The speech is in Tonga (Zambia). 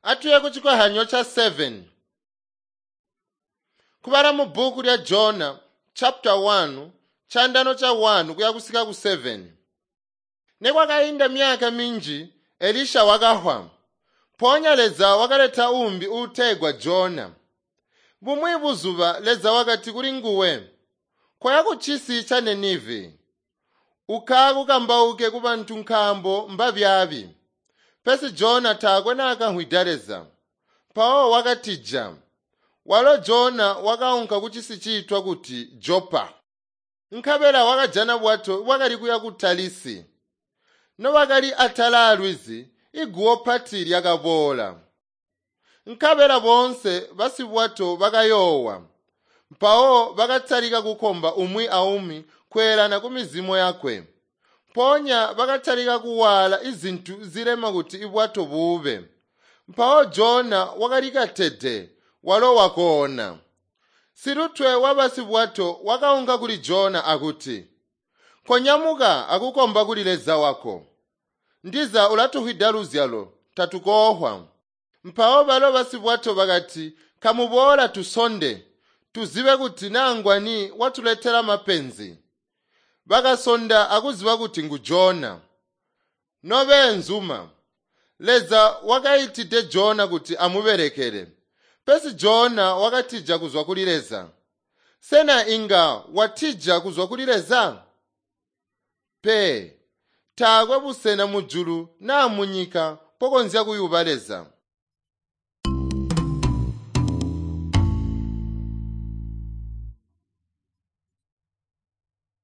Atuye kuchikohyanyo cha 7. Kubala mu bhuku lya Jona chapter 1 chandano cha 1 kuya kusika ku 7. Nekwakainda myaka minji Elisha wakahwa. Mpoonya Leza wakaleta umbi uutegwa Jona. Bumwi buzuba Leza wakati kuli nguwe, "Koya ku cisi cha Ninive, ukakukambauke ku bantu nkaambo mbabyaabi." Pesi Jona taakwe naakamvwida Leza. Mpawo wakatija. Walo Jona wakaunka ku cisi ciitwa kuti Jopa. Nkabela wakajana bwato bwakali kuya ku Talisi. Nobakali atala alwizi, iguwo pati lyakaboola. Nkabela boonse basibwato bakayoowa. Mpawo bakatalika kukomba umwi aumwi kweelana kumizimo yakwe. Mpoonya bakatalika kuwaala izintu zilema kuti ibwato buube. Mpawo Jona wakalikatede, walo wakoona. Silutwe wabasibwato wakaunka kuli Jona akuti, "Konyamuka akukomba kuli Leza wako. Ndiza ulatuhwida luzyalo, tatukoohwa." Mpawo balo basibwato bakati, "Kamuboola tusonde, tuzibe kuti naa ngwani watuletela mapenzi." Bakasonda akuziba kuti ngu Jona. Nobeenzuma, Leza wakaitide Jona kuti amubelekele. Pesi Jona wakatija kuzwa kuli Leza. Sena inga watija kuzwa kuli Leza? Pe, taakwe busena mujulu naa munyika mpokonzya kuyuba Leza.